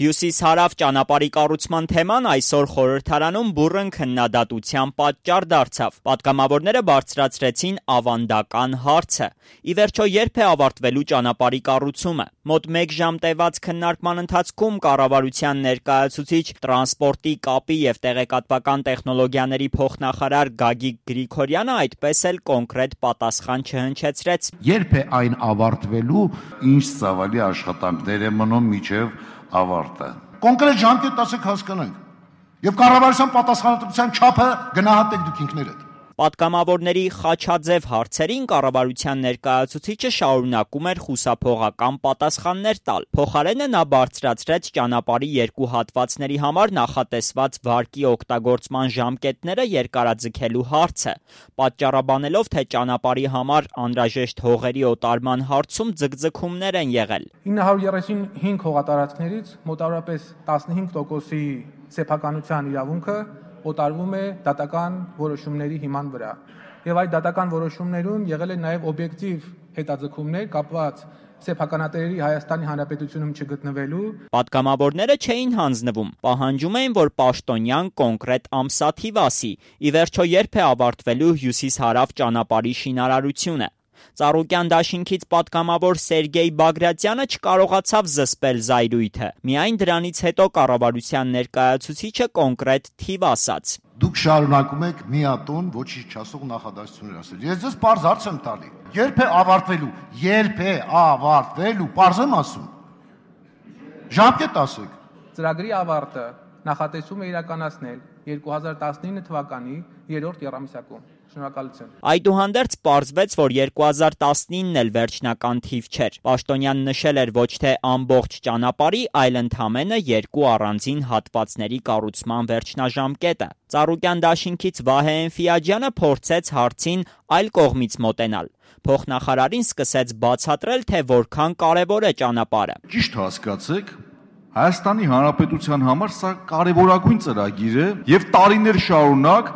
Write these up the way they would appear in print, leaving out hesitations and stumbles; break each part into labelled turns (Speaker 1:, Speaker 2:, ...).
Speaker 1: Հյուսիս-հարավ ճանապարհի կառուցման թեման այսօր խորհրդարանում բուռն քննադատության պատճառ դարձավ։ Պատգամավորները բարձրացրեցին ավանդական հարցը. ի վերջո երբ է ավարտվելու ճանապարհի կառուցումը։ Մոտ 1 ժամ տևած քննարկման ընթացքում կառավարության ներկայացուցիչ տրանսպորտի, կապի եւ տեղեկատվական տեխնոլոգիաների փոխնախարար Գագիկ Գրիգորյանը այդպես էլ կոնկրետ պատասխան չհնչեցրեց։
Speaker 2: Երբ է այն ավարտվելու, ինչ ծավալի աշխատանքներ է մնում մինչև ավարտը։ Կոնկրետ ժամկետ ասեք հասկանանք։ Եվ կառավարության պատասխանատվության չափը գնահատեք դուք ինքներդ։
Speaker 1: Պատգամավորների խաչաձև հարցերին կառավարության ներկայացուցիչը շարունակում էր խուսափողական պատասխաններ տալ։ Փոխարենը նա բարձրացրեց ճանապարհի երկու հատվածների համար նախատեսված վարկի օգտագործման ժամկետները երկարաձգելու հարցը, պատճառաբանելով, թե ճանապարհի համար անհրաժեշտ հողերի օտարման հարցում ձգձգումներ են եղել։
Speaker 3: 935 հողատարածքներից մոտավորապես 15%-ի սեփականության իրավունքը օտարվում է դատական որոշումների հիման վրա։ Եվ այդ դատական որոշումներում եղել են նաև օբյեկտիվ հետաձգումներ կապված սեփականատերերի Հայաստանի Հանրապետությունում չգտնվելու։
Speaker 1: Պատգամավորները չէին հանձնվում, պահանջում էին, որ պաշտոնյան կոնկրետ ամսաթիվ ասի, ի վերջո երբ է ավարտվելու հյուսիս-հարավ ճանապարհի շինարարությունը։ Ծառուկյան դաշինքից պատգամավոր Սերգեյ Բագրատյանը չկարողացավ զսպել զայրույթը։ Միայն դրանից հետո կառավարության ներկայացուցիչը կոնկրետ թիվ ասաց։
Speaker 2: Դուք շարունակում եք միատոն ոչինչ չասող նախադասություններ ասել։ Ես ձեզ պարզ հարց եմ տալի։ Երբ է ավարտվելու։ Երբ է ավարտվելու, պարզ եմ ասում։ Ժամկետ ասեք։
Speaker 3: Ծրագրի ավարտը նախատեսում է իրականացնել 2019 թվականի 3-րդ եռամիսակում։ Շնորհակալություն։
Speaker 1: Այդուհանդերձ պարզվեց, որ 2019-ն էլ վերջնական թիվ չէր։ Պաշտոնյան նշել էր ոչ թե ամբողջ ճանապարհի, այլ ընդամենը 2 առանձին հատվածների կառուցման վերջնաժամկետը։ Ծառուկյան դաշինքից Վահե Էնֆիաջյանը փորձեց հարցին այլ կողմից մոտենալ։ Փոխնախարարին սկսեց բացատրել, թե որքան կարևոր է ճանապարհը։
Speaker 4: Ճիշտ հասկացեք, Հայաստանի Հանրապետության համար սա կարևորագույն ծրագիր է եւ տարիներ շարունակ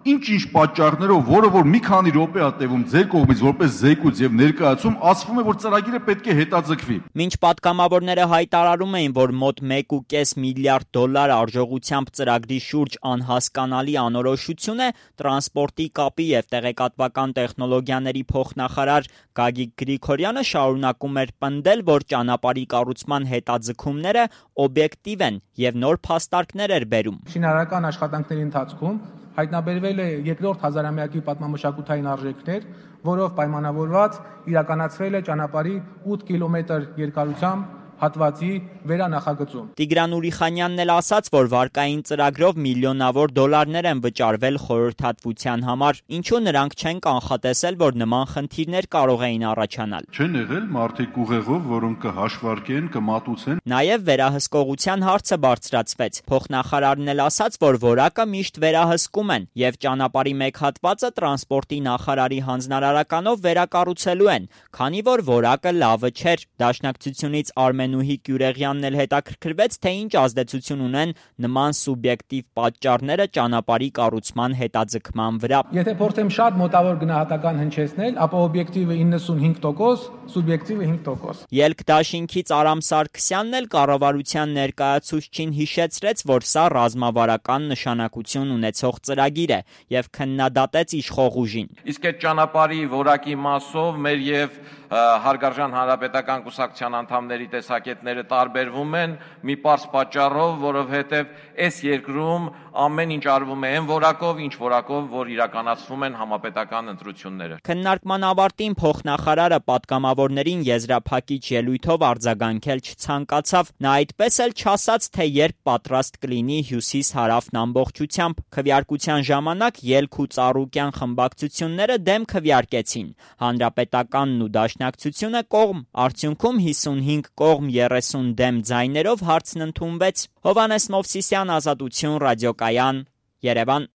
Speaker 4: ինչ պատճառներով, որը որ մի քանի րոպե է տևում ձեր կողմից որպես զեկույց եւ ներկայացում, ասվում է, որ ծրագիրը պետք է հետաձգվի։
Speaker 1: Մինչ պատգամավորները հայտարարում էին, որ մոտ 1.5 միլիարդ դոլար արժողությամբ ծրագրի շուրջ անհասկանալի անորոշություն է, տրանսպորտի, կապի եւ տեղեկատվական տեխնոլոգիաների փոխնախարար Գագիկ Գրիգորյանը շարունակում էր պնդել, որ ճանապարհի կառուցման հետաձգումները օբյեկտիվ են եւ նոր փաստարկներ էր բերում։
Speaker 3: Շինարարական աշխատանքների ընթացքում հայտնաբերվել է երկրորդ հազարամյակի պատմամշակութային արժեքներ, որով պայմանավորված իրականացվել է ճանապարհի 8 կիլոմետր երկարությամբ հատվածի վերանախագծում։
Speaker 1: Տիգրան Ուրիխանյանն էլ ասաց, որ վարկային ծրագրով միլիոնավոր դոլարներ են վճարվել խորհրդատվության համար, ինչու նրանք չեն կանխատեսել, որ նման խնդիրներ կարող էին առաջանալ։
Speaker 4: Չեն եղել մարդիկ ուղեղով, որոնք կհաշվարկեն, կմատուցեն։
Speaker 1: Նաև վերահսկողության հարցը բարձրացվեց։ Փոխնախարարն էլ ասաց, որ որակը միշտ վերահսկում են եւ ճանապարհի մեկ հատվածը տրանսպորտի նախարարի հանձնարարականով վերակառուցելու են, քանի որ որակը լավը չէր։ Դաշնակցությունից Արմենուհի Կյուրեղյանն էլ հետաքրքրվեց, թե ինչ ազդեցություն ունեն նման սուբյեկտիվ պատճառները ճանապարհի կառուցման հետաձգման վրա։
Speaker 3: Եթե փորձեմ շատ մոտավոր գնահատական հնչեցնել, ապա օբյեկտիվը 95%, սուբյեկտիվը 5%։
Speaker 1: Ելք դաշինքից Արամ Սարգսյանն էլ կառավարության ներկայացուցչին հիշեցրեց, որ սա ռազմավարական նշանակություն ունեցող ծրագիր է եւ քննադատեց իշխող ուժին։
Speaker 5: Իսկ այդ ճանապարհի որակի մասով մեր եւ հարգարժան հանրապետական կուսակցության անդամների տեսակետները տարբերվում են մի պարզ պատճառով, որովհետև այս երկրում ամեն ինչ արվում է այն որակով, ինչ որակով, որ իրականացվում են համապետական ընտրությունները։
Speaker 1: Քննարկման ավարտին փոխնախարարը պատգամավորներին եզրափակիչ ելույթով արձագանքել չցանկացավ։ Նա այդպես էլ չասաց, թե երբ պատրաստ կլինի հյուսիս-հարավն ամբողջությամբ։ Քվեարկության ժամանակ ելք ու ծառուկյան խմբակցությունները դեմ քվեարկեցին։ Հանրապետականն ու դաշնակցությունը կողմ, արդյունքում 55 կողմ 30 դեմ ձայներով հարցն ընդունվեց։ Հովհաննես Մովսիսյան, Ազատություն, ռադիոկայան, Երևան։